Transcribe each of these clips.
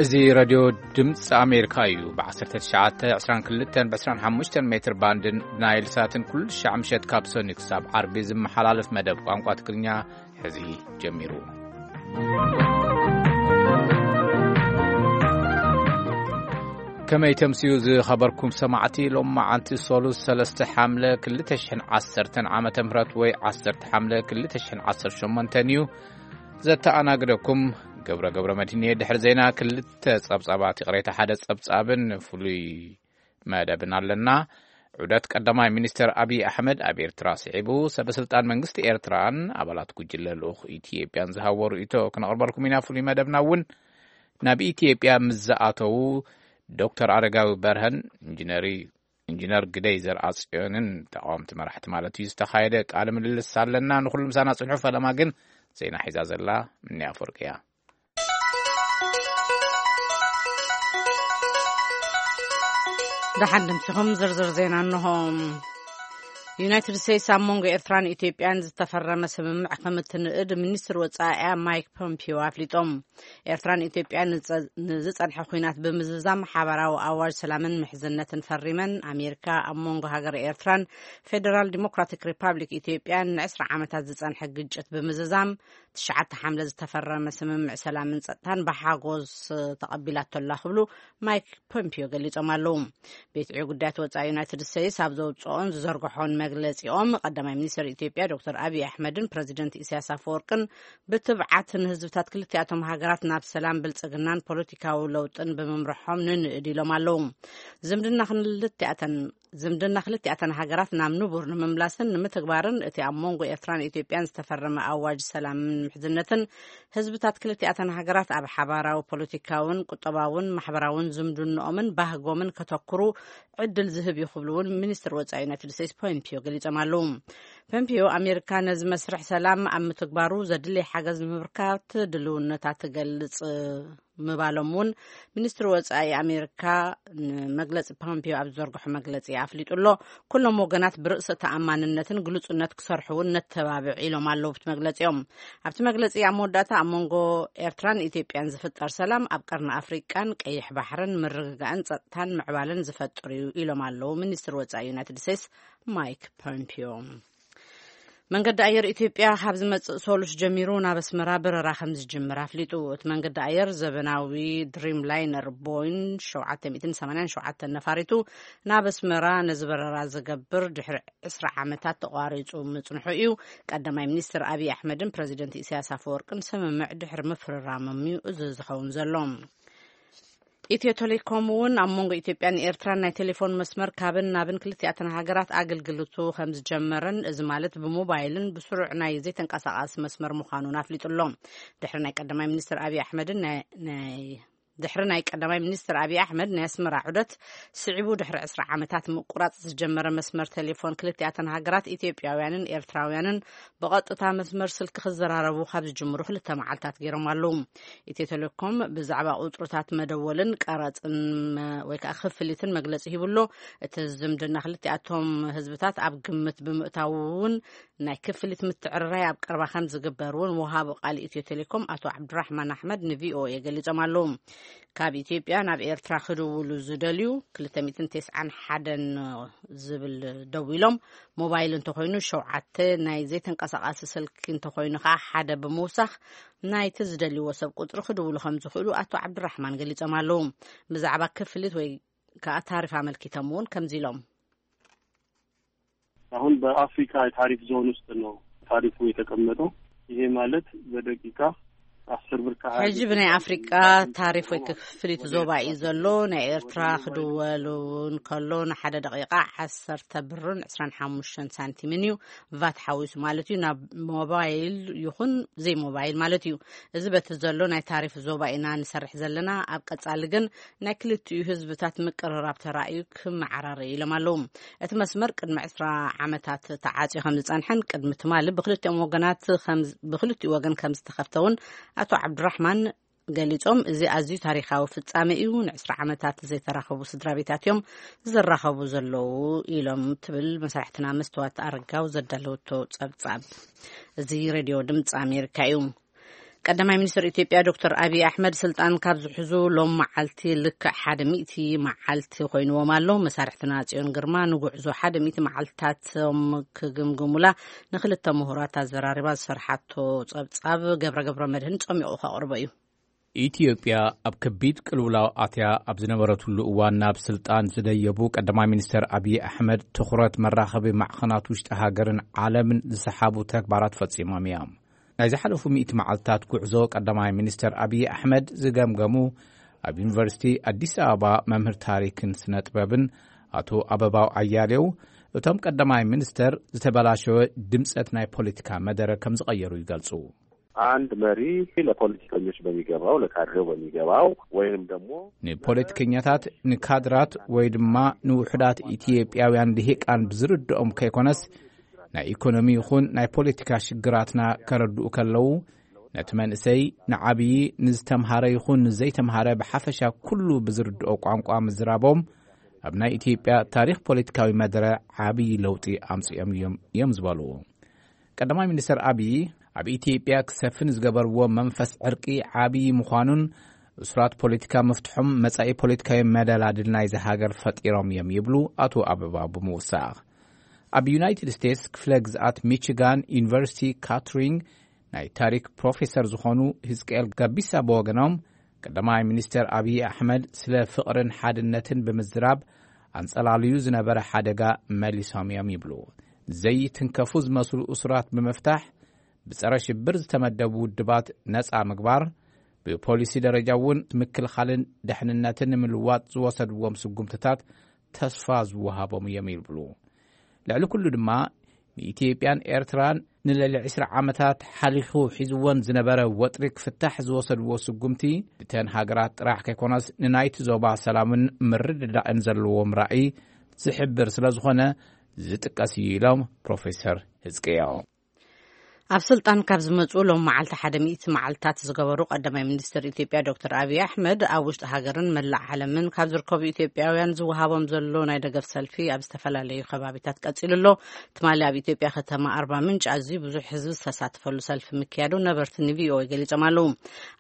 እዚ ሬድዮ ድምፂ ኣሜሪካ እዩ። ብ19፣ 22፣ ብ25 ሜትር ባንድን ብናይል ሳትን ኩሉ ሻዕ ምሸት ካብ ሰኒ ክሳብ ዓርቢ ዝመሓላለፍ መደብ ቋንቋ ትግርኛ ሕዚ ጀሚሩ። ከመይ ተምስዩ ዝኸበርኩም ሰማዕቲ፣ ሎም መዓልቲ ሶሉስ 3 ሓምለ 2010 ዓመተ ምህረት ወይ 10 ሓምለ 2018 እዩ። ዘተኣናግደኩም ገብረ ገብረ መድህን እየ። ድሕሪ ዜና ክልተ ጸብጻባት፣ ይቕሬታ፣ ሓደ ጸብጻብን ፍሉይ መደብን ኣለና። ዑደት ቀዳማይ ሚኒስትር ኣብይ ኣሕመድ ኣብ ኤርትራ ስዒቡ፣ ሰበስልጣን መንግስቲ ኤርትራን ኣባላት ጉጅለ ልኡኽ ኢትዮጵያን ዝሃቦ ርእይቶ ክነቕርበልኩም ኢና። ፍሉይ መደብና እውን ናብ ኢትዮጵያ ምስ ዝኣተዉ ዶክተር ኣረጋዊ በርሀን ኢንጂነሪ-፣ ኢንጂነር ግደይ ዘርኣጽዮንን ተቃወምቲ መራሕቲ ማለት እዩ ዝተኻየደ ቃለ ምልልስ ኣለና። ንኹሉ ምሳና ጽንሑ። ፈለማ ግን ዜና ሒዛ ዘላ ምንያ ኣፈወርቂ እያ። ደሓን ድምፅኹም ዝርዝር ዜና እንሆ። ዩናይትድ ስቴትስ ኣብ መንጎ ኤርትራን ኢትዮጵያን ዝተፈረመ ስምምዕ ከም እትንእድ ሚኒስትር ወጻኢኣ ማይክ ፖምፒዮ ኣፍሊጦም። ኤርትራን ኢትዮጵያን ንጸ-፣ ንዝጸንሐ ኲናት ብምዝዛም ሓባራዊ ኣዋጅ ሰላምን ምሕዝነትን ፈሪመን። ኣሜሪካ ኣብ መንጎ ሃገር ኤርትራን ፌደራል ዲሞክራቲክ ሪፓብሊክ ኢትዮጵያን ን20 ዓመታት ዝጸንሐ ግጭት ብምዝዛም ትሽዓተ ሓምለ ዝተፈረመ ስምምዕ ሰላምን ጸጥታን ብሓጎስ ተቐቢላቶ ኣላ ክብሉ ማይክ ፖምፒዮ ገሊጾም ኣለዉ። ቤት ዕዮ ጉዳያት ወጻኢ ዩናይትድ ስቴትስ ኣብ ዘውጽኦን ዝዘርግሖን መግለጺኦም፣ ቀዳማይ ሚኒስትር ኢትዮጵያ ዶክተር ኣብይ ኣሕመድን ፕረዚደንት ኢሳያስ ኣፈወርቅን ብትብዓት ንህዝብታት ክልቲኣቶም ሃገራት ናብ ሰላም፣ ብልጽግናን ፖለቲካዊ ለውጥን ብምምርሖም ንንእድ ኢሎም ኣለዉ። ዝምድና ክልቲኣተን ዝምድና ክልቲኣተን ሃገራት ናብ ንቡር ንምምላስን ንምትግባርን፣ እቲ ኣብ መንጎ ኤርትራን ኢትዮጵያን ዝተፈረመ ኣዋጅ ሰላምን ምሕዝነትን፣ ህዝብታት ክልቲኣተን ሃገራት ኣብ ሓባራዊ ፖለቲካውን ቁጠባውን ማሕበራውን ዝምድንኦምን ባህጎምን ከተኩሩ ዕድል ዝህብ እዩ ክብሉ እውን ሚኒስትር ወጻኢ ዩናይትድ ስቴትስ ፖምፒዮ ገሊጾም ኣለዉ። ፖምፒዮ፣ ኣሜሪካ ነዚ መስርሕ ሰላም ኣብ ምትግባሩ ዘድልይ ሓገዝ ንምብርካት ድልውነታ ትገልጽ ምባሎም እውን ሚኒስትሪ ወጻኢ ኣሜሪካ ንመግለጺ ፖምፒዮ ኣብ ዝዘርግሖ መግለጺ ኣፍሊጡ ኣሎ። ኩሎም ወገናት ብርእሰ ተኣማንነትን ግሉጽነት ክሰርሑ እውን ነተባብዕ ኢሎም ኣለዉ ኣብቲ መግለጺኦም። ኣብቲ መግለጺ ኣብ መወዳእታ ኣብ መንጎ ኤርትራን ኢትዮጵያን ዝፍጠር ሰላም ኣብ ቀርኒ ኣፍሪቃን ቀይሕ ባሕርን ምርግጋእን ጸጥታን ምዕባለን ዝፈጥር እዩ ኢሎም ኣለዉ ሚኒስትሪ ወጻኢ ዩናይትድ ስቴትስ ማይክ ፖምፒዮ። መንገዲ ኣየር ኢትዮጵያ ካብ ዝመጽእ ሶሉስ ጀሚሩ ናብ ኣስመራ በረራ ከም ዝጅምር ኣፍሊጡ። እቲ መንገዲ ኣየር ዘበናዊ ድሪም ላይነር ቦይን 787 ነፋሪቱ ናብ ኣስመራ ነዚ በረራ ዝገብር ድሕሪ 20 ዓመታት ተቋሪጹ ምጽንሑ እዩ። ቀዳማይ ሚኒስትር ኣብይ ኣሕመድን ፕረዚደንት ኢሳያስ ኣፈወርቅን ስምምዕ ድሕሪ ምፍርራሞም እዩ እዚ ዝኸውን ዘሎ። ኢትዮ ቴሌኮም እውን ኣብ መንጎ ኢትዮጵያን ኤርትራን ናይ ቴሌፎን መስመር ካብን ናብን ክልቲኣተን ሃገራት ኣገልግሎቱ ከም ዝጀመረን፣ እዚ ማለት ብሞባይልን ብስሩዕ ናይ ዘይተንቀሳቓሲ መስመር ምዃኑን ኣፍሊጡ ኣሎ። ድሕሪ ናይ ቀዳማይ ሚኒስትር ኣብይ ኣሕመድን ናይ፣ ናይ፣ ድሕሪ ናይ ቀዳማይ ሚኒስትር ኣብይ ኣሕመድ ናይ ኣስመራ ዑደት ስዒቡ፣ ድሕሪ 20 ዓመታት ምቁራጽ ዝጀመረ መስመር ቴሌፎን ክልቲኣተን ሃገራት፣ ኢትዮጵያውያንን ኤርትራውያንን ብቐጥታ መስመር ስልኪ ክዘራረቡ ካብ ዝጅምሩ ክልተ መዓልታት ገይሮም ኣለዉ። ኢትዮ ቴሌኮም ብዛዕባ ቁጽርታት መደወልን ቀረጽን መ-፣ ወይ ከዓ ክፍሊትን መግለጺ ሂቡ ኣሎ። እቲ ዝምድና ክልቲኣቶም ህዝብታት ኣብ ግምት ብምእታው እውን ናይ ክፍሊት ምትዕርራይ ኣብ ቀረባ ከም ዝግበር እውን ወሃቢ ቃል ኢትዮ ቴሌኮም ኣቶ ዓብዱራሕማን ኣሕመድ ንቪኦኤ ገሊጾም ኣለዉ። ካብ ኢትዮጵያ ናብ ኤርትራ ክድውሉ ዝደልዩ 291 ዝብል ደዊሎም፣ ሞባይል እንተኾይኑ ሸውዓተ፣ ናይ ዘይተንቀሳቓሲ ስልኪ እንተኾይኑ ከዓ ሓደ ብምውሳኽ ናይቲ ዝደልይዎ ሰብ ቁጽሪ ክድውሉ ከም ዝኽእሉ ኣቶ ዓብዱራሕማን ገሊጾም ኣለዉ። ብዛዕባ ክፍሊት ወይ ከዓ ታሪፍ ኣመልኪቶም እውን ከምዚ ኢሎም። አሁን በአፍሪካ የታሪፍ ዞን ውስጥ ነው ታሪፉ የተቀመጠው። ይሄ ማለት በደቂቃ 10 ብር ከ20 ሕጂ ብናይ ኣፍሪቃ ታሪፍ ወይ ክፍሊት ዞባ እዩ ዘሎ። ናይ ኤርትራ ክድወሉ እንከሎ ንሓደ ደቂቃ 10 ብርን 25 ሳንቲምን እዩ፣ ቫት ሓዊሱ ማለት እዩ፣ ናብ ሞባይል ይኹን ዘይሞባይል ማለት እዩ። እዚ በቲ ዘሎ ናይ ታሪፍ ዞባ ኢና ንሰርሕ ዘለና። ኣብ ቀጻሊ ግን ናይ ክልቲኡ ህዝብታት ምቅርራብ ተራእዩ ክመዓራረ ኢሎም ኣለዉ። እቲ መስመር ቅድሚ 20 ዓመታት ተዓጽዩ ከም ዝጸንሐን ቅድሚ ትማሊ ብክልቲኦም ወገናት ከም፣ ብክልቲኡ ወገን ከም ዝተኸፍተ እውን ኣቶ ዓብዱራሕማን ገሊጾም፣ እዚ ኣዝዩ ታሪኻዊ ፍጻሜ እዩ፣ ን20 ዓመታት ዘይተራኸቡ ስድራ ቤታት እዮም ዝራኸቡ ዘለዉ ኢሎም ትብል መሳርሕትና መስተዋት ኣረጋው ዘዳለወቶ ጸብጻብ። እዚ ሬድዮ ድምፂ ኣሜሪካ እዩ። ቀዳማይ ሚኒስትር ኢትዮጵያ ዶክተር ኣብይ ኣሕመድ ስልጣን ካብ ዝሕዙ ሎም መዓልቲ ልክዕ ሓደ ሚእቲ መዓልቲ ኮይንዎም ኣሎ። መሳርሕትና ጽዮን ግርማ ንጉዕዞ ሓደ ሚእቲ መዓልትታቶም ክግምግሙላ ንክልተ ምሁራት ኣዘራሪባ ዝሰርሓቶ ጸብጻብ ገብረ ገብረ መድህን ጸሚቑ ከቕርቦ እዩ። ኢትዮጵያ ኣብ ከቢድ ቅልውላው ኣትያ ኣብ ዝነበረትሉ እዋን ናብ ስልጣን ዝደየቡ ቀዳማይ ሚኒስትር ኣብይ ኣሕመድ ትኹረት መራኸቢ ማዕኸናት ውሽጢ ሃገርን ዓለምን ዝሰሓቡ ተግባራት ፈጺሞም እዮም። ናይ ዝሓለፉ ሚእቲ መዓልትታት ጉዕዞ ቀዳማይ ሚኒስትር ኣብይ ኣሕመድ ዝገምገሙ ኣብ ዩኒቨርሲቲ ኣዲስ ኣበባ መምህር ታሪክን ስነ ጥበብን ኣቶ ኣበባው ኣያሌው፣ እቶም ቀዳማይ ሚኒስትር ዝተበላሸወ ድምጸት ናይ ፖለቲካ መደረ ከም ዝቐየሩ ይገልጹ። አንድ መሪ ለፖለቲከኞች በሚገባው፣ ለካድሬው በሚገባው ወይንም ደግሞ ንፖለቲከኛታት፣ ንካድራት ወይ ድማ ንውሑዳት ኢትዮጵያውያን ልሂቃን ብዝርድኦም ከይኮነስ፣ ናይ ኢኮኖሚ ይኹን ናይ ፖለቲካ ሽግራትና ከረድኡ ከለዉ፣ ነቲ መንእሰይ፣ ንዓብዪ፣ ንዝተምሃረ ይኹን ንዘይተምሃረ ብሓፈሻ ኩሉ ብዝርድኦ ቋንቋ ምዝራቦም ኣብ ናይ ኢትዮጵያ ታሪኽ ፖለቲካዊ መደረ ዓብዪ ለውጢ ኣምጺኦም እዮም እዮም ዝበሉ። ቀዳማይ ሚኒስትር ኣብይ ኣብ ኢትዮጵያ ክሰፍን ዝገበርዎ መንፈስ ዕርቂ ዓብዪ ምዃኑን እሱራት ፖለቲካ ምፍትሖም መጻኢ ፖለቲካዊ መደላድል ናይዚ ሃገር ፈጢሮም እዮም ይብሉ ኣቶ ኣበባ ብምውሳኽ። ኣብ ዩናይትድ ስቴትስ ክፍለ ግዝኣት ሚቺጋን ዩኒቨርሲቲ ካትሪንግ ናይ ታሪክ ፕሮፌሰር ዝኾኑ ህዝቅኤል ጋቢሳ ብወገኖም፣ ቀዳማይ ሚኒስትር ኣብይ ኣሕመድ ስለ ፍቕርን ሓድነትን ብምዝራብ ኣንጸላልዩ ዝነበረ ሓደጋ መሊሶም እዮም ይብሉ። ዘይትንከፉ ዝመስሉ እሱራት ብምፍታሕ፣ ብጸረ ሽብር ዝተመደቡ ውድባት ነጻ ምግባር፣ ብፖሊሲ ደረጃ እውን ምክልኻልን ደሕንነትን ንምልዋጥ ዝወሰድዎም ስጉምትታት ተስፋ ዝወሃቦም እዮም ይብሉ። ልዕሊ ኩሉ ድማ ንኢትዮጵያን ኤርትራን ንልዕሊ ዕስራ ዓመታት ሓሊኹ ሒዝወን ዝነበረ ወጥሪ ክፍታሕ ዝወሰድዎ ስጉምቲ ብተን ሃገራት ጥራሕ ከይኮነስ ንናይቲ ዞባ ሰላምን ምርድዳእን ዘለዎም ራእይ ዝሕብር ስለ ዝኾነ ዝጥቀስ እዩ ኢሎም ፕሮፌሰር ህዝቅኤል። ኣብ ስልጣን ካብ ዝመጹ ሎም መዓልቲ ሓደ ሚእቲ መዓልታት ዝገበሩ ቀዳማይ ሚኒስትር ኢትዮጵያ ዶክተር ኣብይ ኣሕመድ፣ ኣብ ውሽጢ ሃገርን መላእ ዓለምን ካብ ዝርከቡ ኢትዮጵያውያን ዝወሃቦም ዘሎ ናይ ደገፍ ሰልፊ ኣብ ዝተፈላለዩ ከባቢታት ቀጺሉ ኣሎ። ትማሊ ኣብ ኢትዮጵያ ከተማ ኣርባ ምንጭ ኣዝዩ ብዙሕ ህዝቢ ዝተሳተፈሉ ሰልፊ ምክያዱ ነበርቲ ንቪኦኤ ገሊጾም ኣለዉ።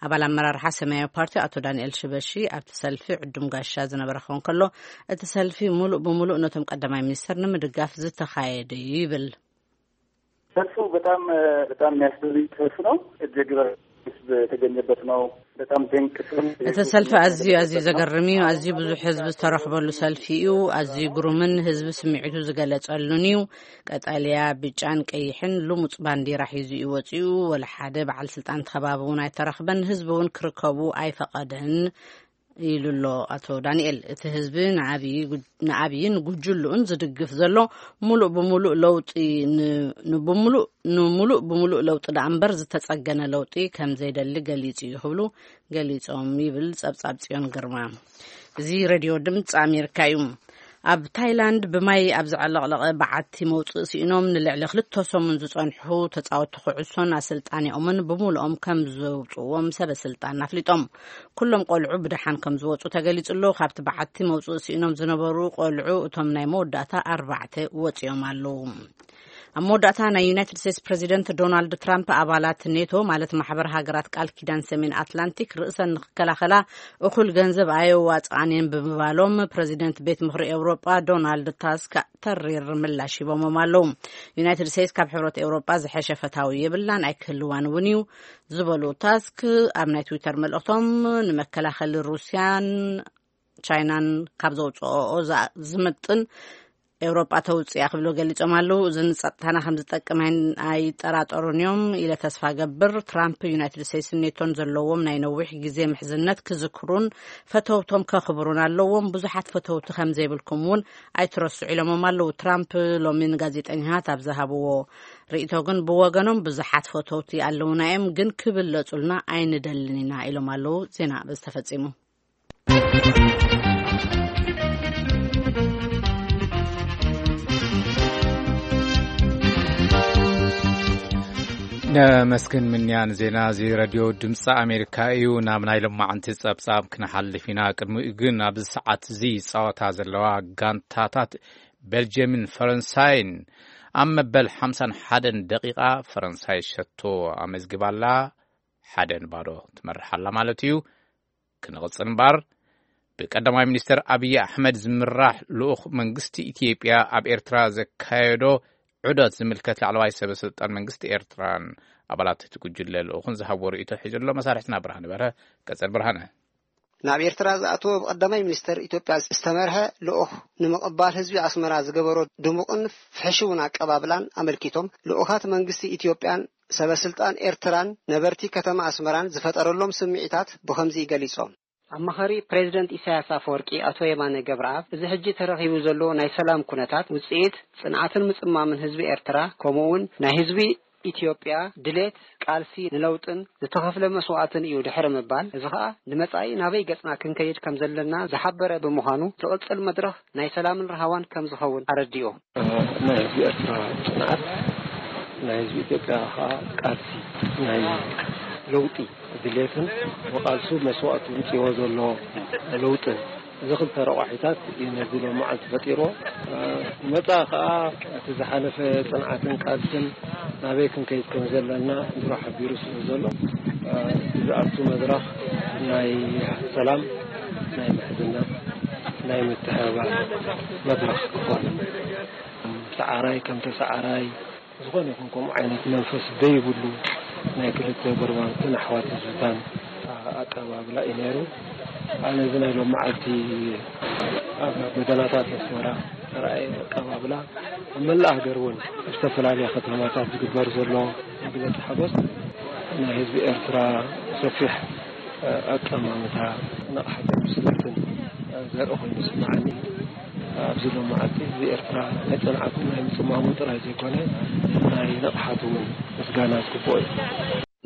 ኣባል ኣመራርሓ ሰማያዊ ፓርቲ ኣቶ ዳንኤል ሽበሺ ኣብቲ ሰልፊ ዕዱም ጋሻ ዝነበረ ክኸውን ከሎ፣ እቲ ሰልፊ ሙሉእ ብሙሉእ ነቶም ቀዳማይ ሚኒስትር ንምድጋፍ ዝተኻየደ እዩ ይብል። ሰልፉ በጣም፣ በጣም የሚያስደንቅ ሰልፍ ነው። እጅግ በርካታ ህዝብ የተገኘበት ነው። በጣም ድንቅ ሰልፍ። እቲ ሰልፊ ኣዝዩ፣ ኣዝዩ ዘገርም እዩ። ኣዝዩ ብዙሕ ህዝቢ ዝተረኽበሉ ሰልፊ እዩ። ኣዝዩ ግሩምን ህዝቢ ስምዒቱ ዝገለጸሉን እዩ። ቀጠልያ፣ ብጫን ቀይሕን ልሙጽ ባንዲራ ሒዙ እዩ ወጺኡ። ወላ ሓደ በዓል ስልጣን ተኸባቢ እውን ኣይተረኽበን። ህዝቢ እውን ክርከቡ ኣይፈቐደን። ኢሉ ኣሎ ኣቶ ዳንኤል። እቲ ህዝቢ ንኣብይ ጉ-፣ ንኣብይን ጉጅልኡን ዝድግፍ ዘሎ፣ ሙሉእ ብሙሉእ ለውጢ ን-፣ ንብሙሉእ፣ ንሙሉእ ብሙሉእ ለውጢ ደኣ እምበር ዝተጸገነ ለውጢ ከም ዘይደሊ ገሊጹ እዩ ክብሉ ገሊጾም ይብል ጸብጻብ ጽዮን ግርማ። እዚ ሬድዮ ድምፂ ኣሜሪካ እዩ። ኣብ ታይላንድ ብማይ ኣብ ዘዕለቕለቐ በዓቲ መውፅኢ ስኢኖም ንልዕሊ ክልተ ሰሙን ዝፀንሑ ተፃወትቲ ኩዕሶን ኣሰልጣኒኦምን ብሙሉኦም ከም ዘውፅዎም ሰበ ስልጣን ኣፍሊጦም። ኩሎም ቆልዑ ብደሓን ከም ዝወፁ ተገሊፁ ኣሎ። ካብቲ በዓቲ መውፅኢ ስኢኖም ዝነበሩ ቆልዑ እቶም ናይ መወዳእታ ኣርባዕተ ወፂኦም ኣለዉ። ኣብ መወዳእታ ናይ ዩናይትድ ስቴትስ ፕሬዚደንት ዶናልድ ትራምፕ ኣባላት ኔቶ ማለት ማሕበር ሃገራት ቃል ኪዳን ሰሜን ኣትላንቲክ ርእሰን ንክከላኸላ እኹል ገንዘብ ኣየዋፅኣን እየን ብምባሎም ፕሬዚደንት ቤት ምኽሪ ኤውሮጳ ዶናልድ ታስክ ተሪር ምላሽ ሂቦሞም ኣለዉ። ዩናይትድ ስቴትስ ካብ ሕብረት ኤውሮጳ ዝሐሸ ፈታዊ የብላን ኣይክህልዋን እውን እዩ ዝበሉ ታስክ ኣብ ናይ ትዊተር መልእኽቶም ንመከላኸሊ ሩስያን ቻይናን ካብ ዘውፅኦ ዝምጥን ኤውሮጳ ተውፅያ ክብሉ ገሊፆም ኣለዉ። እዚ ንፀጥታና ከም ዝጠቅም ኣይን-፣ ኣይጠራጠሩን እዮም ኢለ ተስፋ ገብር። ትራምፕ ዩናይትድ ስቴትስን ኔቶን ዘለዎም ናይ ነዊሕ ግዜ ምሕዝነት ክዝክሩን ፈተውቶም ከኽብሩን ኣለዎም። ብዙሓት ፈተውቲ ከም ዘይብልኩም እውን ኣይትረስዑ ኢሎሞም ኣለዉ። ትራምፕ ሎሚ ንጋዜጠኛታት ኣብ ዝሃብዎ ርእይቶ ግን ብወገኖም ብዙሓት ፈተውቲ ኣለዉና እዮም፣ ግን ክብለጹልና ኣይንደልን ኢና ኢሎም ኣለዉ። ዜና በዚ ተፈጺሙ። ነመስግን ምንያን ዜና እዚ ረድዮ ድምፂ ኣሜሪካ እዩ። ናብ ናይ ሎማዓንቲ ጸብጻብ ክንሓልፍ ኢና። ቅድሚኡ ግን ኣብዚ ሰዓት እዚ ይጻወታ ዘለዋ ጋንታታት ቤልጅየምን ፈረንሳይን ኣብ መበል ሓምሳን ሓደን ደቂቓ ፈረንሳይ ሸቶ ኣመዝግባላ። ሓደ ንባዶ ትመርሕ ኣላ ማለት እዩ። ክንቕጽል እምበር፣ ብቀዳማይ ሚኒስተር ኣብይ ኣሕመድ ዝምራሕ ልኡኽ መንግስቲ ኢትዮጵያ ኣብ ኤርትራ ዘካየዶ ዑደት ዝምልከት፣ ላዕለዋይ ሰበ ስልጣን መንግስቲ ኤርትራን ኣባላት እቲ ጉጅለ ልኡኽን ዝሃብዎ ርእይቶ ሒዙ ኣሎ። መሳርሕትና ብርሃነ በርሀ። ቀጽል ብርሃነ። ናብ ኤርትራ ዝኣተወ ብቀዳማይ ሚኒስተር ኢትዮጵያ ዝተመርሐ ልኡኽ ንምቕባል ህዝቢ ኣስመራ ዝገበሮ ድሙቕን ፍሕሽውን ኣቀባብላን ኣመልኪቶም፣ ልኡኻት መንግስቲ ኢትዮጵያን ሰበ ስልጣን ኤርትራን ነበርቲ ከተማ ኣስመራን ዝፈጠረሎም ስምዒታት ብኸምዚ ገሊጾም። ኣማኻሪ ፕሬዚደንት ኢሳያስ ኣፈወርቂ ኣቶ የማነ ገብረኣብ፣ እዚ ሕጂ ተረኺቡ ዘሎ ናይ ሰላም ኩነታት ውጽኢት ጽንዓትን ምጽማምን ህዝቢ ኤርትራ፣ ከምኡ እውን ናይ ህዝቢ ኢትዮጵያ ድሌት ቃልሲ ንለውጥን ዝተኸፍለ መስዋእትን እዩ ድሕሪ ምባል፣ እዚ ኸኣ ንመጻኢ ናበይ ገጽና ክንከይድ ከም ዘለና ዝሓበረ ብምዃኑ፣ ዝቕጽል መድረኽ ናይ ሰላምን ራህዋን ከም ዝኸውን ኣረዲኡ። ናይ ህዝቢ ኤርትራ ጽንዓት፣ ናይ ህዝቢ ኢትዮጵያ ኸኣ ቃልሲ፣ ናይ ለውጢ ድሌትን ብቓልሱ መስዋእቱ ውጽዎ ዘሎ ለውጥን፣ እዚ ክልተ ረቋሒታት እዩ ነዚ ሎም መዓልቲ ፈጢርዎ። ንመጻኢ ኸኣ እቲ ዝሓለፈ ጽንዓትን ቃልስን ናበይ ክንከይድ ከም ዘለና ንሮ ሓቢሩ ስለ ዘሎ፣ ዝኣቱ መድረኽ ናይ ሰላም፣ ናይ ምሕዝነት፣ ናይ ምትሕብባር መድረኽ ክኾን፣ ሰዓራይ ከም ተሰዓራይ ዝኾነ ይኹን ከምኡ ዓይነት መንፈስ ዘይብሉ ናይ ክልተ ጎረባብትን ኣሕዋት ህዝብታን ኣቀባብላ እዩ ነይሩ። ኣነ እዚ ናይ ሎም መዓልቲ ኣብ ጎደናታት ኣስመራ ተራእየ ኣቀባብላ፣ ኣብ መላእ ሃገር እውን ኣብ ዝተፈላለያ ከተማታት ዝግበር ዘሎ መግለጺ ሓጎስ ናይ ህዝቢ ኤርትራ ሰፊሕ ኣቀማምታ፣ ንቕሓትን ብስለትን ዘርኢ ኮይኑ ይስምዓኒ። ኣብዚ ሎም መዓልቲ ህዝቢ ኤርትራ ናይ ጽንዓቱ ናይ ምጽማሙ ጥራይ ዘይኮነ፣ ናይ ንቕሓቱ እውን ምስጋና ዝግብኦ እዩ።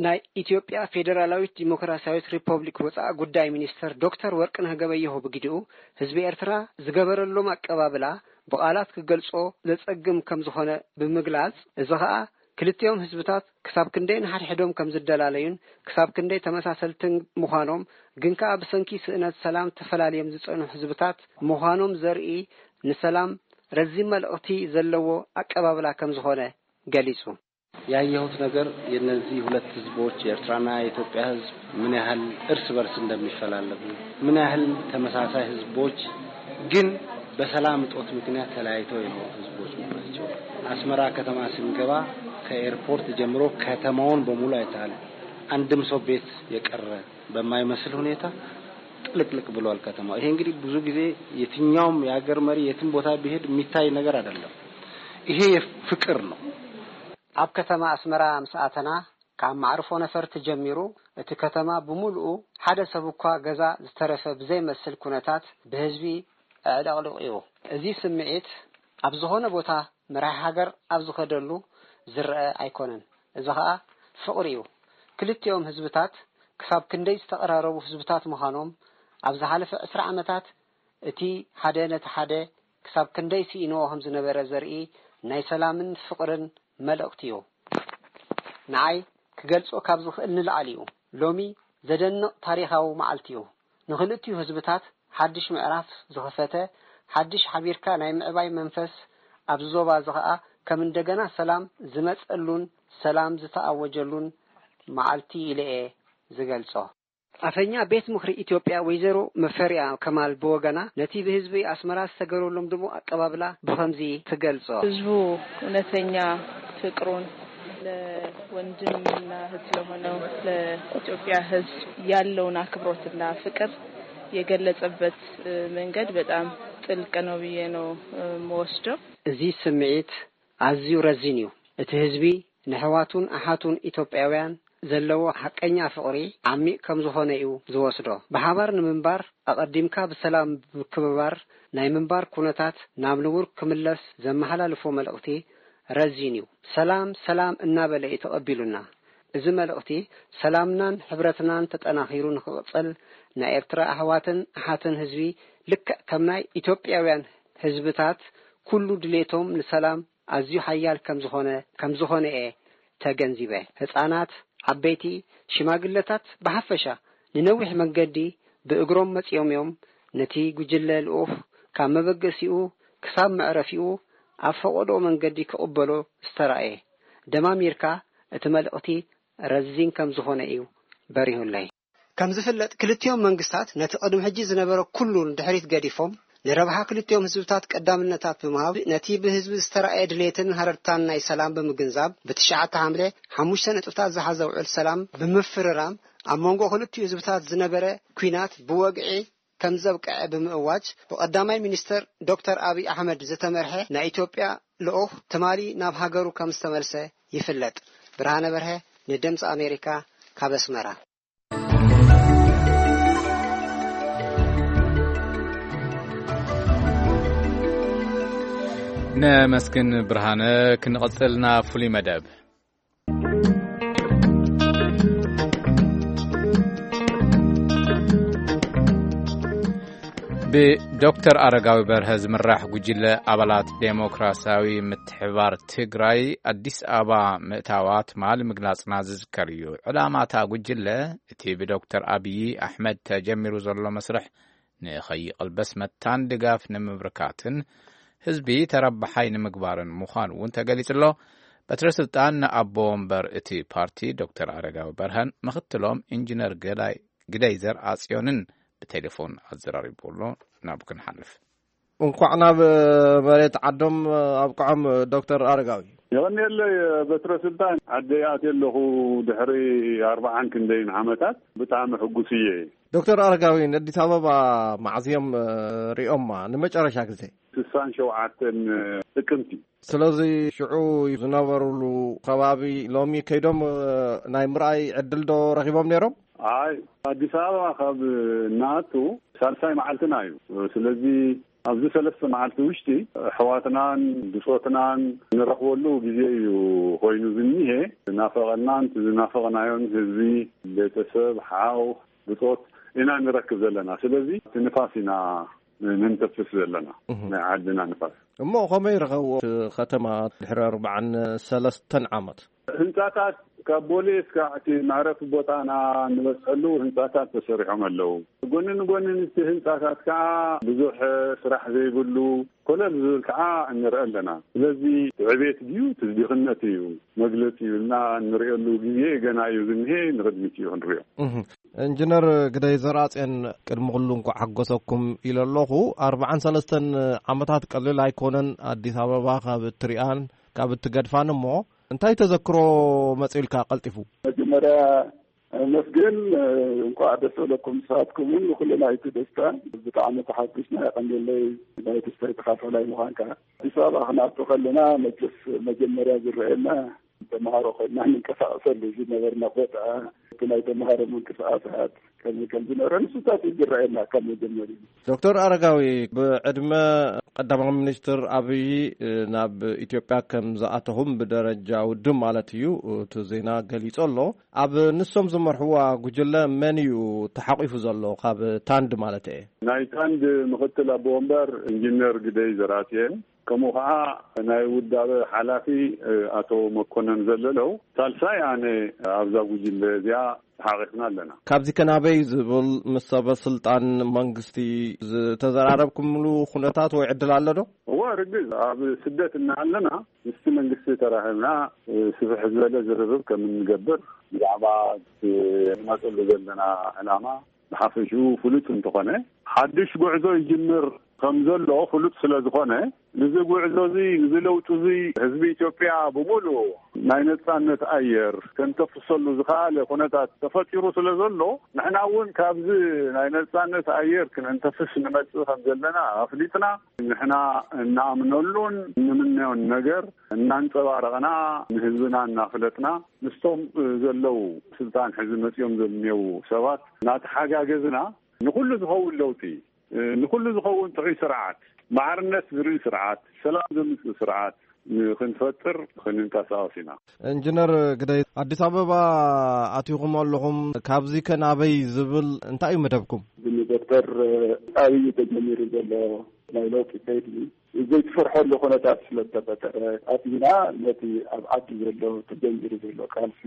ናይ ኢትዮጵያ ፌዴራላዊት ዲሞክራሲያዊት ሪፐብሊክ ወጻኢ ጉዳይ ሚኒስተር ዶክተር ወርቅነህ ገበየሁ ብግዲኡ፣ ህዝቢ ኤርትራ ዝገበረሎም ኣቀባብላ ብቓላት ክገልጾ ዘጸግም ከም ዝኾነ ብምግላጽ፣ እዚ ኸኣ ክልቲኦም ህዝብታት ክሳብ ክንደይ ንሓድሕዶም ከም ዝደላለዩን ክሳብ ክንደይ ተመሳሰልትን ምዃኖም፣ ግን ከኣ ብሰንኪ ስእነት ሰላም ተፈላልዮም ዝጸንሑ ህዝብታት ምዃኖም ዘርኢ፣ ንሰላም ረዚን መልእኽቲ ዘለዎ ኣቀባብላ ከም ዝኾነ ገሊጹ። ያየሁት ነገር የነዚህ ሁለት ህዝቦች፣ የኤርትራና የኢትዮጵያ ህዝብ፣ ምን ያህል እርስ በርስ እንደሚፈላለጉ፣ ምን ያህል ተመሳሳይ ህዝቦች ግን በሰላም እጦት ምክንያት ተለያይተው የኖሩ ህዝቦች መሆናቸው። አስመራ ከተማ ስንገባ ከኤርፖርት ጀምሮ ከተማውን በሙሉ አይተሃል። አንድም ሰው ቤት የቀረ በማይመስል ሁኔታ ጥልቅልቅ ብሏል ከተማው። ይሄ እንግዲህ ብዙ ጊዜ የትኛውም የሀገር መሪ የትም ቦታ ቢሄድ የሚታይ ነገር አይደለም። ይሄ ፍቅር ነው። ኣብ ከተማ ኣስመራ ምስ ኣተና፣ ካብ መዕርፎ ነፈርቲ ጀሚሩ፣ እቲ ከተማ ብምሉኡ ሓደ ሰብ እኳ ገዛ ዝተረፈ ብዘይመስል ኩነታት ብህዝቢ ኣዕለቕሊቑ እዩ። እዚ ስምዒት ኣብ ዝኾነ ቦታ መራሒ ሃገር ኣብ ዝኸደሉ ዝረኣ ኣይኮነን። እዚ ኸኣ ፍቕሪ እዩ። ክልቲኦም ህዝብታት ክሳብ ክንደይ ዝተቐራረቡ ህዝብታት ምዃኖም ኣብ ዝሓለፈ ዕስራ ዓመታት እቲ ሓደ ነቲ ሓደ ክሳብ ክንደይ ስኢንዎ ከም ዝነበረ ዘርኢ ናይ ሰላምን ፍቕርን መልእኽቲ እዩ። ንዓይ ክገልጾ ካብ ዝኽእል ንላዕሊ እዩ። ሎሚ ዘደንቕ ታሪኻዊ መዓልቲ እዩ። ንኽልቲኡ ህዝብታት ሓድሽ ምዕራፍ ዝኸፈተ፣ ሓድሽ ሓቢርካ ናይ ምዕባይ መንፈስ ኣብዚ ዞባ እዚ ኸኣ ከም እንደገና ሰላም ዝመጸሉን ሰላም ዝተኣወጀሉን መዓልቲ ኢለ እየ ዝገልጾ። ኣፈኛ ቤት ምኽሪ ኢትዮጵያ ወይዘሮ መፈሪያ ከማል ብወገና ነቲ ብህዝቢ ኣስመራ ዝተገበረሎም ድሙቕ ኣቀባብላ ብኸምዚ ትገልጾ። ህዝቡ እውነተኛ ፍቅሩን ለወንድምና እህት ለሆነው ለኢትዮጵያ ህዝብ ያለውን አክብሮትና ፍቅር የገለጸበት መንገድ በጣም ጥልቅ ነው ብዬ ነው የምወስደው። እዚ ስምዒት ኣዝዩ ረዚን እዩ። እቲ ህዝቢ ንሕዋቱን ኣሓቱን ኢትዮጵያውያን ዘለዎ ሓቀኛ ፍቕሪ ዓሚቕ ከም ዝኾነ እዩ ዝወስዶ። ብሓባር ንምንባር ኣቐዲምካ ብሰላም ብምክብባር ናይ ምንባር ኩነታት ናብ ንቡር ክምለስ ዘመሓላልፎ መልእኽቲ ረዚን እዩ። ሰላም ሰላም እናበለ እዩ ተቐቢሉና። እዚ መልእኽቲ ሰላምናን ሕብረትናን ተጠናኺሩ ንኽቕጽል ናይ ኤርትራ ኣሕዋትን ኣሓትን ህዝቢ ልክዕ ከም ናይ ኢትዮጵያውያን ህዝብታት ኩሉ ድሌቶም ንሰላም ኣዝዩ ሓያል ከም ዝኾነ ከም ዝኾነ እየ ተገንዚበ። ህጻናት፣ ዓበይቲ፣ ሽማግለታት ብሓፈሻ ንነዊሕ መንገዲ ብእግሮም መጺኦም እዮም። ነቲ ጉጅለ ልኡኽ ካብ መበገሲኡ ክሳብ መዕረፊኡ ኣብ ፈቐድኦ መንገዲ ክቕበሎ ዝተራእየ። ደማሚርካ እቲ መልእኽቲ ረዚን ከም ዝኾነ እዩ በሪሁለይ። ከም ዝፍለጥ፣ ክልቲኦም መንግስታት ነቲ ቅድሚ ሕጂ ዝነበረ ኩሉ ንድሕሪት ገዲፎም፣ ንረብሓ ክልቲኦም ህዝብታት ቀዳምነታት ብምሃብ፣ ነቲ ብህዝቢ ዝተራእየ ድሌትን ሃረርታን ናይ ሰላም ብምግንዛብ፣ ብትሽዓተ ሓምለ ሓሙሽተ ነጥብታት ዝሓዘ ውዕል ሰላም ብምፍርራም፣ ኣብ መንጎ ክልቲኡ ህዝብታት ዝነበረ ኲናት ብወግዒ ከም ዘብቅዐ ብምእዋጅ፣ ብቀዳማይ ሚኒስተር ዶክተር ኣብይ ኣሕመድ ዝተመርሐ ናይ ኢትዮጵያ ልኡኽ ትማሊ ናብ ሃገሩ ከም ዝተመልሰ ይፍለጥ። ብርሃነ በርሀ፣ ንድምፂ ኣሜሪካ፣ ካብ ኣስመራ። ነመስግን ብርሃነ። ክንቕጽልና ፍሉይ መደብ። ብዶክተር ኣረጋዊ በርሀ ዝምራሕ ጉጅለ ኣባላት ዴሞክራሲያዊ ምትሕባር ትግራይ ኣዲስ ኣበባ ምእታዋ ትማሊ ምግላጽና ዝዝከር እዩ። ዕላማታ ጉጅለ እቲ ብዶክተር ኣብዪ ኣሕመድ ተጀሚሩ ዘሎ መስርሕ ንኸይቕልበስ መታን ድጋፍ ንምብርካትን ህዝቢ ተረባሓይ ንምግባርን ምዃኑ እውን ተገሊጹ ኣሎ። በትረ ስልጣን ንኣቦ ወንበር እቲ ፓርቲ ዶክተር ኣረጋዊ በርሀን ምኽትሎም ኢንጂነር ገዳይ ግደይ ዘርኣጽዮንን ብቴሌፎን ኣዘራሪቡ ኣሎ። ናብ ክንሓልፍ። እንኳዕ ናብ መሬት ዓዶም ኣብቅዖም ዶክተር ኣረጋዊ። የቐንየለይ በትረ ስልጣን። ዓደይ ኣትየ ኣለኹ ድሕሪ ኣርባዓን ክንደይን ዓመታት። ብጣዕሚ ሕጉስ እየ። ዶክተር ኣረጋዊ፣ ንኣዲስ ኣበባ መዓዝ እዮም ሪኦማ ንመጨረሻ ግዜ? ስሳን ሸውዓተን ጥቅምቲ። ስለዚ ሽዑ ዝነበሩሉ ከባቢ ሎሚ ከይዶም ናይ ምርኣይ ዕድል ዶ ረኺቦም ነይሮም? ኣይ፣ ኣዲስ ኣበባ ካብ እናኣቱ ሳልሳይ መዓልትና እዩ። ስለዚ ኣብዚ ሰለስተ መዓልቲ ውሽጢ ኣሕዋትናን ብጾትናን ንረኽበሉ ግዜ እዩ ኮይኑ ዝኒሄ። ናፈቐናን ዝናፈቕናዮን ህዝቢ፣ ቤተሰብ፣ ሓው፣ ብጾት ኢና ንረክብ ዘለና። ስለዚ እቲ ንፋስ ኢና ንንተፍስ ዘለና፣ እህ። ናይ ዓድና ንፋስ። እሞ ከመይ ረኸብዎ እቲ ከተማ ድሕሪ ኣርባዓን ሰለስተን ዓመት? ህንጻታት ካብ ቦሌ እስካዕ እቲ መዕረፊ ቦታና እንበጽሐሉ ህንጻታት ተሰሪሖም ኣለዉ። ጎኒ ንጎኒ ምስቲ ህንጻታት ከዓ ብዙሕ ስራሕ ዘይብሉ ኮለል ዝብል ከዓ ንርኢ ኣለና። ስለዚ እቲ ዕቤት ድዩ እቲ ድኽነት እዩ መግለጺ እዩ ኢልና እንርእየሉ ግዜ ገና እዩ ዝኒሄ፣ ንቕድሚት እዩ ክንርእዮ። እህ። ኢንጂነር ግደይ ዘርኣጽዮን፣ ቅድሚ ኩሉ እንኳዕ ሓጎሰኩም ኢለ ኣለኹ። ኣርባዓን ሰለስተን ዓመታት ቀሊል ኣይኮነን። ኣዲስ ኣበባ ካብ እትሪኣን ካብ እትገድፋን እሞ እንታይ ተዘክሮ መጺኡልካ ቀልጢፉ? መጀመርያ ነመስግን፣ እንኳዕ ደስ በለኩም ንስኻትኩም እውን ንኩልና እቲ ደስታ። ብጣዕሚ ተሓጒስና፣ የቐንየለይ ናይ ደስታይ ተኻፋላይ ምዃንካ። ኣዲስ ኣበባ ክንኣቱ ከለና መቸስ መጀመርያ ዝረኣየና ተምሃሮ ኮይና ንንቀሳቐሰሉ ዝነበርና ቦታ፣ እቲ ናይ ተምሃሮ ምንቅስቃሳት ከመይ ከም ዝነበረ ንሱታት እዩ ዝረኣየና ካብ መጀመርያ። ዶክተር ኣረጋዊ፣ ብዕድመ ቀዳማዊ ሚኒስትር ኣብይ ናብ ኢትዮጵያ ከም ዝኣተኹም ብደረጃ ውድብ ማለት እዩ እቲ ዜና ገሊጹ ኣሎ። ኣብ ንሶም ዝመርሕዋ ጉጅለ መን እዩ ተሓቂፉ ዘሎ? ካብ ታንድ ማለት እየ። ናይ ታንድ ምኽትል ኣቦ ወንበር ኢንጂነር ግደይ ዘርኣጽዮን፣ ከምኡ ኸዓ ናይ ውዳበ ሓላፊ ኣቶ መኮነን ዘለለው፣ ሳልሳይ ኣነ ኣብዛ ጉጅለ እዚኣ ተሓቂፍና ኣለና። ካብዚ ከናበይ ዝብል ምስ ሰበ ስልጣን መንግስቲ ዝተዘራረብኩምሉ ኩነታት ወይ ዕድል ኣሎ ዶ? እወ፣ ርግዝ ኣብ ስደት እናሃለና ምስቲ መንግስቲ ተራኺብና ስፍሕ ዝበለ ዝርርብ ከም እንገብር ብዛዕባ እቲ ንመፀሉ ዘለና ዕላማ ብሓፈሽኡ ፍሉጥ እንተኾነ፣ ሓድሽ ጉዕዞ ይጅምር ከም ዘሎ ፍሉጥ ስለ ዝኾነ፣ ንዚ ጉዕዞ እዚ፣ ንዚ ለውጢ እዚ ህዝቢ ኢትዮጵያ ብምሉእ ናይ ነጻነት ኣየር ከንተፍሰሉ ዝኸኣለ ኩነታት ተፈጢሩ ስለ ዘሎ፣ ንሕና እውን ካብዚ ናይ ነጻነት ኣየር ክነንተፍስ ንመጽእ ከም ዘለና ኣፍሊጥና፣ ንሕና እንኣምነሉን እንምነዮን ነገር እናንጸባረቕና፣ ንህዝብና እናፍለጥና፣ ምስቶም ዘለዉ ስልጣን ሕዚ መጺኦም ዘምኔዉ ሰባት እናተሓጋገዝና፣ ንኹሉ ዝኸውን ለውጢ፣ ንኹሉ ዝኸውን ጥዑይ ስርዓት፣ ማዕርነት ዝርኢ ስርዓት፣ ሰላም ዘምጽእ ስርዓት ንኽንፈጥር ክንንቀሳቐስ ኢና። ኢንጂነር ግደይ፣ ኣዲስ ኣበባ ኣቲኹም ኣለኹም። ካብዚ ከ ናበይ ዝብል እንታይ እዩ መደብኩም? ብዶክተር ኣብይ ተጀሚሩ ዘሎ ናይ ለውጢ ከይዲ ዘይትፈርሐሉ ኩነታት ስለ ዝተፈጠረ፣ ኣቲና ነቲ ኣብ ዓዲ ዘሎ ተጀሚሩ ዘሎ ቃልሲ፣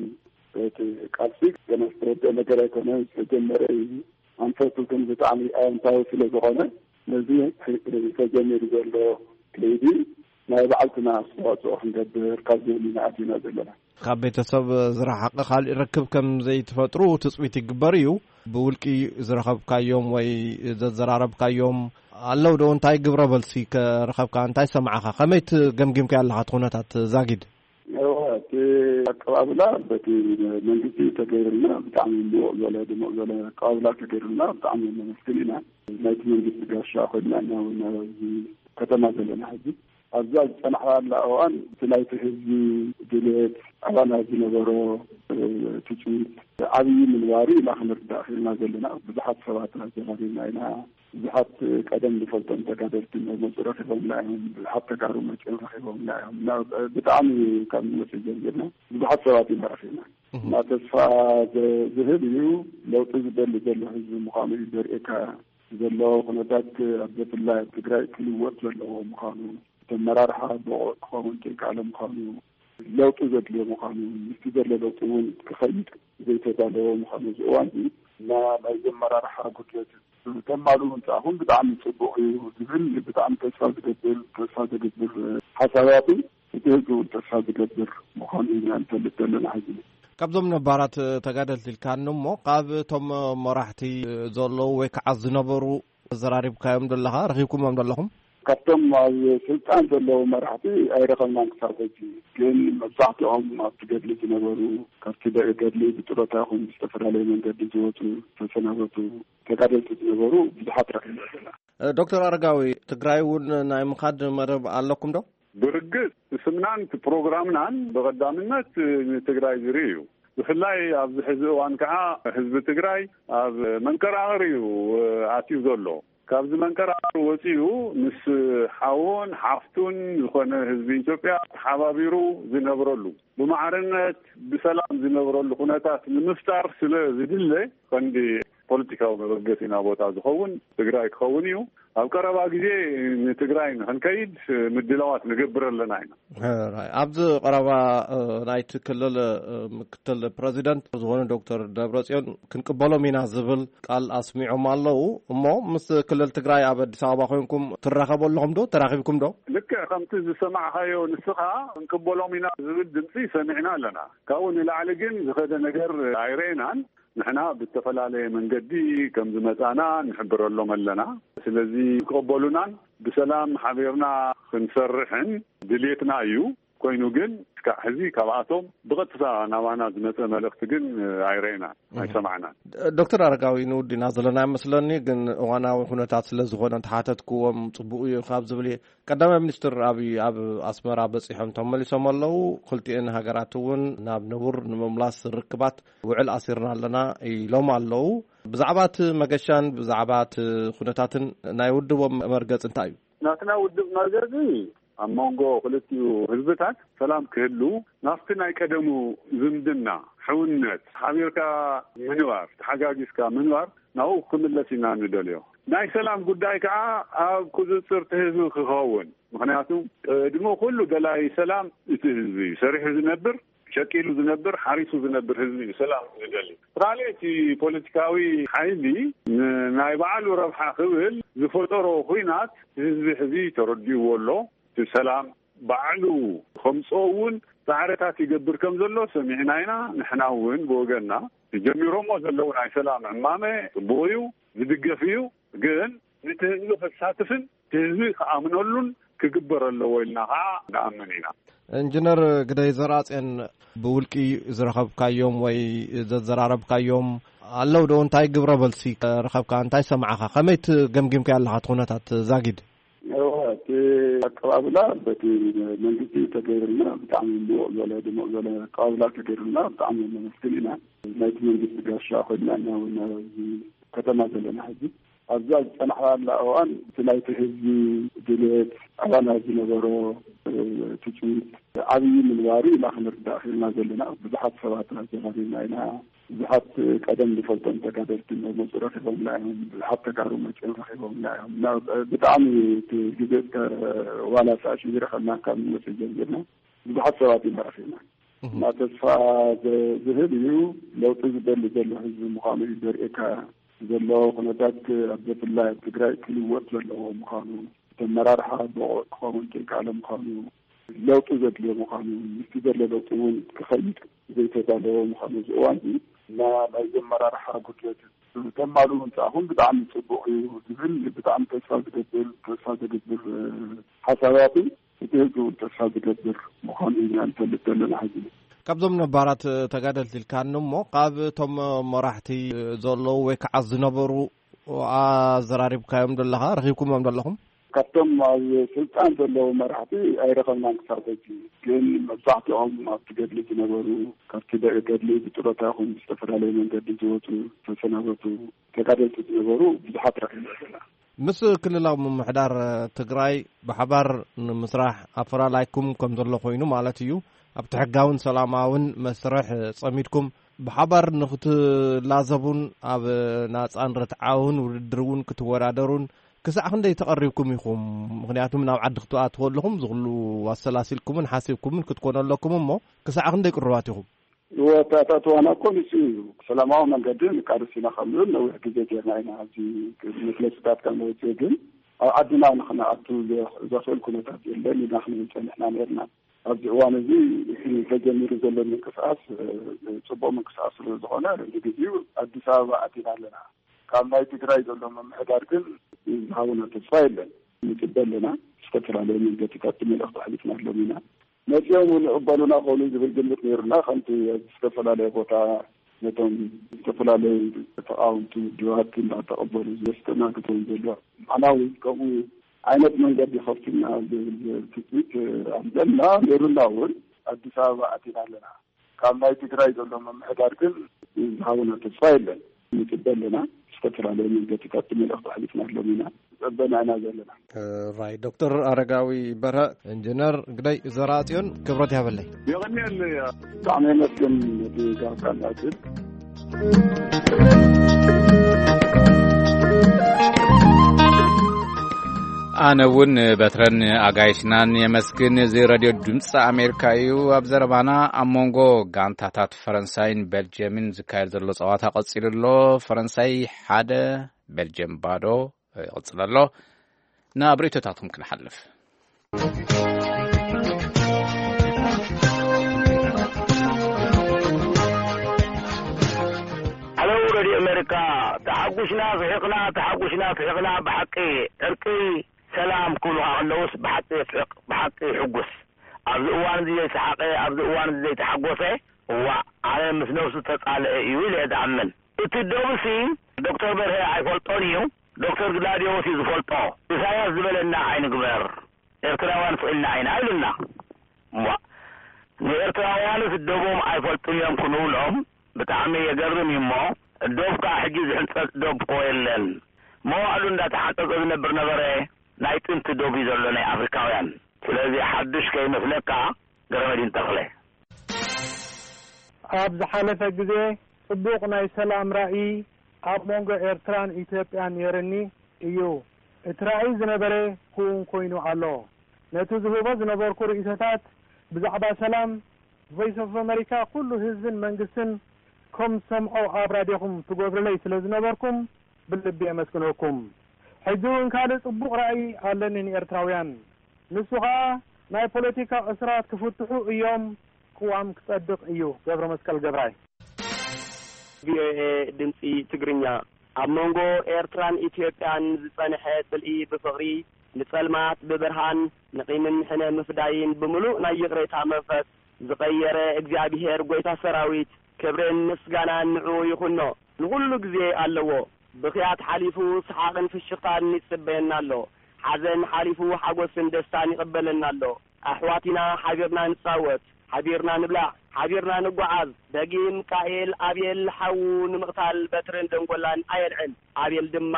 እቲ ቃልሲ ገና ዝተወደአ ነገር ኣይኮነን፣ ዝተጀመረ እዩ። ኣንፈቱ ግን ብጣዕሚ ኣወንታዊ ስለ ዝኾነ፣ ነዚ ተጀሚሩ ዘሎ ከይዲ ናይ ባዕልትና ኣስተዋፅኦ ክንገብር ካብ ዝብል ኢና ኣቲና ዘለና። ካብ ቤተሰብ ዝረሓቐ ካሊእ ርክብ ከም ዘይትፈጥሩ ትፅቢት ይግበር እዩ። ብውልቂ ዝረኸብካዮም ወይ ዘዘራረብካዮም ኣለዉ ዶ? እንታይ ግብረ መልሲ ከረኸብካ? እንታይ ሰማዕኻ? ከመይ ትገምጊምካ ኣለኻ እቲ ኩነታት ዛጊድ? እወ፣ እቲ ኣቀባብላ በቲ መንግስቲ ተገይሩልና ብጣዕሚ ምውቕ ዝበለ ድሙቕ ዝበለ ኣቀባብላ ተገይሩልና ብጣዕሚ ነመስግን ኢና። ናይቲ መንግስቲ ጋሻ ኮይና ኢና እውን ኣብዚ ከተማ ዘለና ሕጂ። ኣብዛ ዝፀናሕናላ እዋን እቲ ናይቲ ህዝቢ ድሌት፣ ኣባና ዝነበሮ ትፅቢት ዓብዪ ምንባሩ ኢና ክንርዳእ ክኢልና ዘለና። ብዙሓት ሰባት ኣዘራሪብና ኢና። ብዙሓት ቀደም ዝፈልጦም ተጋደልቲ መፁ ረኺቦምና እዮም። ብዙሓት ተጋሩ መፂኦም ረኺቦምና እዮም። እና ብጣዕሚ ካብ ንመፅእ ጀሚርና ብዙሓት ሰባት ኢና ረኺብና። እና ተስፋ ዝህብ እዩ። ለውጢ ዝደሊ ዘሎ ህዝቢ ምዃኑ እዩ ዘርእየካ ዘሎ ኩነታት። ኣብ ብፍላይ ኣብ ትግራይ ክልወጥ ዘለዎ ምዃኑ፣ እቲ ኣመራርሓ ብቑዕ ክኸውን ዘይከኣለ ምዃኑ፣ ለውጢ ዘድልዮ ምዃኑ፣ ምስቲ ዘሎ ለውጢ እውን ክኸይድ ዘይተዳለወ ምዃኑ፣ እዚ እዋን እዚ እና ናይዚ ኣመራርሓ ጉድለት ተማሉ ምምፃእኹም ብጣዕሚ ፅቡቕ እዩ ዝብል ብጣዕሚ ተስፋ ዝገብር፣ ተስፋ ዘገብር ሓሳባትን እቲ ህዝቢ እውን ተስፋ ዝገብር ምዃኑ ኢና ንፈልጥ ዘለና ሕዚ። ካብዞም ነባራት ተጋደልቲ ኢልካኒ እሞ፣ ካብ እቶም መራሕቲ ዘለዉ ወይ ከዓ ዝነበሩ ዘራሪብካዮም ዘለኻ፣ ረኺብኩሞም ዘለኹም? ካብቶም ኣብ ስልጣን ዘለዉ መራሕቲ ኣይረኸብናን ክሳብ ሕጂ። ግን መብዛሕትኦም ኣብቲ ገድሊ ዝነበሩ፣ ካብቲ ደ- ገድሊ ብጥሮታ ይኹን ብዝተፈላለየ መንገዲ ዝወፁ፣ ዝተሰናበቱ ተጋደልቲ ዝነበሩ ብዙሓት ረኺብና ኣለና። ዶክተር ኣረጋዊ፣ ትግራይ እውን ናይ ምኻድ መደብ ኣለኩም ዶ? ብርግጽ፣ ስምናን እቲ ፕሮግራምናን ብቐዳምነት ንትግራይ ዝርኢ እዩ። ብፍላይ ኣብዚ ሕዚ እዋን ከዓ ህዝቢ ትግራይ ኣብ መንቀራቕር እዩ ኣትዩ ዘሎ። ካብዚ መንቀራቕር ወፂኡ ምስ ሓውን ሓፍቱን ዝኾነ ህዝቢ ኢትዮጵያ ተሓባቢሩ ዝነብረሉ፣ ብማዕርነት ብሰላም ዝነብረሉ ኩነታት ንምፍጣር ስለ ዝድለ፣ ቀንዲ ፖለቲካዊ መበገሲና ቦታ ዝኸውን ትግራይ ክኸውን እዩ። ኣብ ቀረባ ግዜ ንትግራይ ንክንከይድ ምድላዋት ንገብር ኣለና ኢና። ሕራይ። ኣብዚ ቀረባ፣ እ፣ ናይቲ ክልል፣ እ፣ ምክትል ፕረዚደንት ዝኾኑ ዶክተር ደብረጽዮን ክንቅበሎም ኢና ዝብል ቃል ኣስሚዖም ኣለዉ። እሞ ምስ ክልል ትግራይ ኣብ ኣዲስ ኣበባ ኮይንኩም ትራኸቡ ኣለኹም ዶ? ተራኺብኩም ዶ? ልክዕ ከምቲ ዝሰማዕኻዮ ንስኻ፣ ክንቅበሎም ኢና ዝብል ድምፂ ሰሚዕና ኣለና። ካብኡ ንላዕሊ ግን ዝኸደ ነገር ኣይረኤናን። ንሕና ብዝተፈላለየ መንገዲ ከም ዝመጻና ንሕብረሎም ኣለና። ስለዚ ክቕበሉናን ብሰላም ሓቢርና ክንሰርሕን ድልየትና እዩ። ኮይኑ ግን እስካዕ ሕዚ ካብኣቶም ብቐጥታ ናባና ዝመጸ መልእኽቲ ግን ኣይረኤናን፣ እህ። ኣይሰማዕናን። ዶክተር ኣረጋዊ፣ ንውዲና ዘለና ይመስለኒ፣ ግን እዋናዊ ኩነታት ስለ ዝኾነ እንተሓተትክዎም ጽቡቕ እዩ ካብ ዝብል እየ። ቀዳማይ ሚኒስትር ኣብይ ኣብ ኣስመራ በጺሖም ተመሊሶም ኣለዉ። ክልቲኤን ሃገራት እውን ናብ ንቡር ንምምላስ ርክባት ውዕል ኣሲርና ኣለና ኢሎም ኣለዉ። ብዛዕባ እቲ መገሻን ብዛዕባ እቲ ኩነታትን ናይ ውድቦም መርገጽ እንታይ እዩ? ናትና ውድብ መርገጺ ኣብ መንጎ ክልቲኡ ህዝብታት ሰላም ክህሉ፣ ናብቲ ናይ ቀደሙ ዝምድና፣ ሕውነት፣ ሓቢርካ ምንባር፣ ተሓጋጊዝካ ምንባር ናብኡ ክምለስ ኢና ንደልዮ። ናይ ሰላም ጉዳይ ከዓ ኣብ ቁፅፅር እቲ ህዝቢ ክኸውን፣ ምኽንያቱ ቅድሚ ኩሉ ደላይ ሰላም እቲ ህዝቢ እዩ። ሰሪሑ ዝነብር፣ ሸቂሉ ዝነብር፣ ሓሪሱ ዝነብር ህዝቢ እዩ ሰላም ዝደሊ። ካልእ እቲ ፖለቲካዊ ሓይሊ ን- ናይ ባዕሉ ረብሓ ክብል ዝፈጠሮ ኹናት ህዝቢ ሕዚ ተረዲእዎ ኣሎ። እቲ ሰላም ባዕሉ ከምፅኦ እውን ፃዕርታት ይገብር ከም ዘሎ ሰሚዕና ኢና። ንሕና እውን ብወገንና ጀሚሮሞ ዘለዉ ናይ ሰላም ዕማመ ፅቡቕ እዩ፣ ዝድገፍ እዩ። ግን ነቲ ህዝቢ ከሳትፍን እቲ ህዝቢ ክኣምነሉን ክግበር ኣለዎ ኢልና ከዓ ንኣምን ኢና። ኢንጂነር ግደይ ዘርኣፅዮን፣ ብውልቂ ዝረኸብካዮም ወይ ዘዘራረብካዮም ኣለዉ ዶ? እንታይ ግብረ መልሲ ረኸብካ? እንታይ ሰማዕኻ? ከመይ ትገምጊምካዮ ኣለኻ እቲ ኩነታት ዛጊድ? እወ፣ እቲ ኣቀባብላ በቲ መንግስቲ ተገይሩልና ብጣዕሚ ምዉቕ ዝበለ ድሙቕ ዝበለ ኣቀባብላ ተገይሩልና ብጣዕሚ ነመስግን ኢና። ናይቲ መንግስቲ ጋሻ ኮይንና ኢና እውን ኣብዚ ከተማ ዘለና ሕጂ። ኣብዛ ዝፀናሕናላ እዋን እቲ ናይቲ ህዝቢ ድሌት፣ ኣባና ዝነበሮ ትፅቢት ዓብዪ ምንባሩ ኢና ክንርዳእ ክኢልና ዘለና። ብዙሓት ሰባት ኣዘራሪብና ኢና። ብዙሓት ቀደም ዝፈልጦም ተጋደልቲ መፁ ረኺቦምና እዮም። ብዙሓት ተጋሩ መፂኦም ረኺቦምና እዮም። እና ብጣዕሚ እቲ ግዜ እስከ ዋላ ሰዓት ሽግር ከልና ካብ ንመፅእ ጀሚርና ብዙሓት ሰባት ኢና ረኺብና። እና ተስፋ ዝህብ እዩ። ለውጢ ዝደሊ ዘሎ ህዝቢ ምዃኑ እዩ ዘርእየካ ዘሎ ኩነታት። ኣብ ብፍላይ ኣብ ትግራይ ክልወጥ ዘለዎ ምዃኑ፣ ኣመራርሓ ብቑዕ ክኸውን ዘይከኣለ ምዃኑ፣ ለውጢ ዘድልዮ ምዃኑ፣ ምስቲ ዘሎ ለውጢ እውን ክኸይድ ዘይተዳለወ ምዃኑ፣ እዚ እዋን እዚ እና ናይ ዘመራርሓ ጉድለት ተማሉ ምምፃእኹም ብጣዕሚ ፅቡቕ እዩ ዝብል ብጣዕሚ ተስፋ ዝገብር፣ ተስፋ ዘገብር ሓሳባትን እቲ ህዝቢ እውን ተስፋ ዝገብር ምዃኑ ኢና ንፈልጥ ዘለና ሕዚ። ካብዞም ነባራት ተጋደልቲ ኢልካኒ እሞ፣ ካብ እቶም መራሕቲ ዘለዉ ወይ ከዓ ዝነበሩ ኣዘራሪብካዮም ዘለኻ፣ ረኺብኩሞም ዘለኹም? ካብቶም ኣብ ስልጣን ዘለዉ መራሕቲ ኣይረኸብናን ክሳብ ሕጂ። ግን መብዛሕትኦም ኣብቲ ገድሊ ዝነበሩ፣ ካብቲ ደ- ገድሊ ብጥሮታ ይኹን ብዝተፈላለየ መንገዲ ዝወፁ፣ ዝተሰናበቱ ተጋደልቲ ዝነበሩ ብዙሓት ረኺብና ኣለና። ምስ ክልላዊ ምምሕዳር ትግራይ ብሓባር ንምስራሕ ኣፈላላይኩም ከም ዘሎ ኮይኑ ማለት እዩ። ኣብቲ ሕጋውን ሰላማውን መስርሕ ጸሚድኩም ብሓባር ንክትላዘቡን ኣብ ናጻን ርትዓውን ውድድር እውን ክትወዳደሩን ክሳዕ ክንደይ ተቐሪብኩም ኢኹም? ምኽንያቱም ናብ ዓዲ ክትኣትዉ ኣለኹም ዝኽሉ ኣሰላሲልኩምን ሓሲብኩምን ክትኮኑ ኣለኩም እሞ ክሳዕ ክንደይ ቅሩባት ኢኹም? እወ፣ እቲ ኣታትዋና እኮ ንሱ እዩ። ሰላማዊ መንገዲ ንቃለስ ኢና ከም ንብል ነዊሕ ግዜ ጌርና ኢና። ኣብዚ መግለፂታት ከም ንወፅእ ግን ኣብ ዓድና ንክንኣቱ ዘ- ዘኽእል ኩነታት የለን ኢና ክንብል ፀኒሕና ነርና። ኣብዚ እዋን እዚ እቲ ተጀሚሩ ዘሎ ምንቅስቃስ እ፣ ፅቡቅ ምንቅስቃስ ስለ ዝኾነ ንግዜኡ ኣዲስ ኣበባ ኣቲና ኣለና። ካብ ናይ ትግራይ ዘሎ ምምሕዳር ግን ዝሃቡና ተስፋ የለን። ንፅበ ኣለና። ዝተፈላለዩ መንገድታት መልእኽቲ ኣሕሊፍና ኣለና ኢና። መፂኦም እውን ይቕበሉና ኾኑ ዝብል ግምት ነይሩና። ከምቲ ኣብ ዝተፈላለየ ቦታ ነቶም ዝተፈላለዩ ተቃወምቲ ውድባት እንዳተቐበሉ ዘስተናግድዎም ዘሎ፣ ንዓና እውን ከምኡ ዓይነት መንገዲ ከፍቱና ዝብል ትፅቢት ኣለና፣ ነይሩና እውን። ኣዲስ ኣበባ ኣቲና ኣለና። ካብ ናይ ትግራይ ዘሎ ምምሕዳር ግን ዝሃቡና ተስፋ የለን። ንፅበ ኣለና። ዝተፈላለዩ መንገድታት መልእኽቲ ኣሕሊፍና ኣለና ኢና። ፀበና ኢና ዘለና። ራይ ዶክተር ኣረጋዊ በርሀ፣ ኢንጂነር ግደይ ዘርኣጽዮን፣ ክብረት ያበለይ። የቐንየለይ። ብጣዕሚ የመስግን ነቲ ጋብቻ ዕድል። ኣነ እውን በትረን ኣጋይሽናን የመስግን። እዚ ረድዮ ድምፂ ኣሜሪካ እዩ። ኣብ ዘረባና ኣብ መንጎ ጋንታታት ፈረንሳይን ቤልጅየምን ዝካየድ ዘሎ ፀዋታ ቀፂሉ ኣሎ። ፈረንሳይ ሓደ፣ ቤልጅየም ባዶ ይቕፅል ኣሎ። ናብ ርእይቶታትኩም ክንሓልፍ። ኣለው ረድዮ ኣሜሪካ፣ ተሓጉሽና ስሒቕና፣ ተሓጉሽና ስሒቕና፣ ብሓቂ ዕርቂ ሰላም ክብሉኻ ከለውስ ብሓቂ የስሕቕ፣ ብሓቂ ይሕጉስ። ኣብዚ እዋን እዚ ዘይሰሓቐ፣ ኣብዚ እዋን እዚ ዘይተሓጎሰ፣ እዋእ፣ ኣነ ምስ ነብሱ ተጻልአ እዩ ኢለ እየ ዝኣምን። እቲ ዶብሲ ዶክተር በርሀ ኣይፈልጦን እዩ፣ ዶክተር ግላድዮስ እዩ ዝፈልጦ። ኢሳያስ ዝበለና ኣይንግበር፣ ኤርትራውያን ስኢልና ኢና ኢሉና። እዋእ፣ ንኤርትራውያንስ ዶቦም ኣይፈልጡን እዮም ክንብሎም ብጣዕሚ የገርም እዩ። እሞ ዶብ ከኣ ሕጂ ዝሕንጸጽ ዶብ እኮ የለን። መዋእሉ እንዳተሓንጸጸ ዝነብር ነበረ። ናይ ጥንቲ ዶብ እዩ ዘሎ ናይ ኣፍሪካውያን። ስለዚ ሓዱሽ ከይመስለካ ገረመዲን ተኽለ። ኣብ ዝሓለፈ ግዜ ጽቡቕ ናይ ሰላም ራእይ ኣብ መንጎ ኤርትራን ኢትዮጵያን ነይርኒ እዩ። እቲ ራእይ ዝነበረ ክውን ኮይኑ ኣሎ። ነቲ ዝህቦ ዝነበርኩ ርእይቶታት ብዛዕባ ሰላም ቮይስ ኦፍ ኣመሪካ ኩሉ ህዝብን መንግስትን ከም ዝሰምዖ ኣብ ራድዮኹም ትገብሩለይ ስለ ዝነበርኩም ብልቢ የመስግነኩም። ሕጂ እውን ካልእ ጽቡቕ ራእይ ኣለኒ ንኤርትራውያን። ንሱ ኸኣ ናይ ፖለቲካ እስራት ክፍትሑ እዮም፣ ቅዋም ክጸድቕ እዩ። ገብረ መስቀል ገብራይ። ቪኦኤ ድምፂ ትግርኛ። ኣብ መንጎ ኤርትራን ኢትዮጵያን ዝጸንሐ ጽልኢ ብፍቕሪ፣ ንጸልማት ብብርሃን፣ ንቂምን ሕነ ምፍዳይን ብምሉእ ናይ ይቕሬታ መንፈስ ዝቐየረ እግዚኣብሄር ጐይታ ሰራዊት፣ ክብርን ምስጋናን ንዕኡ ይኹኖ፣ ንኹሉ ግዜ ኣለዎ። ብኽያት ሓሊፉ ሰሓቕን ፍሽኽታን ይጽበየና ኣሎ። ሓዘን ሓሊፉ ሓጎስን ደስታን ይቕበለና ኣሎ። ኣሕዋት ኢና፣ ሓቢርና ንጻወት፣ ሓቢርና ንብላዕ፣ ሓቢርና ንጓዓዝ። ደጊም ቃኤል ኣቤል ሓዉ ንምቕታል በትርን ደንጎላን ኣየልዕል። ኣቤል ድማ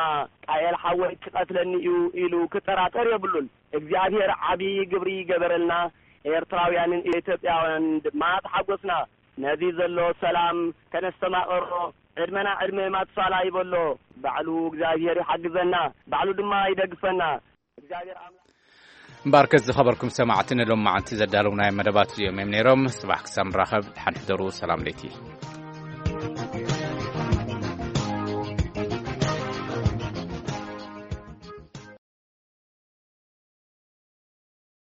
ቃኤል ሓወይ ክቐትለኒ እዩ ኢሉ ክጠራጠር የብሉን። እግዚኣብሔር ዓቢ ግብሪ ገበረልና። ኤርትራውያንን ኢትዮጵያውያን ድማ ተሓጎስና። ነዚ ዘሎ ሰላም ከነስተማቐሮ ዕድመና ዕድመ ማቱሳላ ይበሎ። ባዕሉ እግዚኣብሔር ይሓግዘና፣ ባዕሉ ድማ ይደግፈና። እግዚኣብሔር ኣምላኽ እምበኣርከስ ዝኸበርኩም ሰማዕቲ ንሎማዓንቲ ዘዳለውናዮም መደባት እዚኦም እዮም ነይሮም። ጽባሕ ክሳብ ንራኸብ ደሓን ሕደሩ። ሰላም ለይቲ።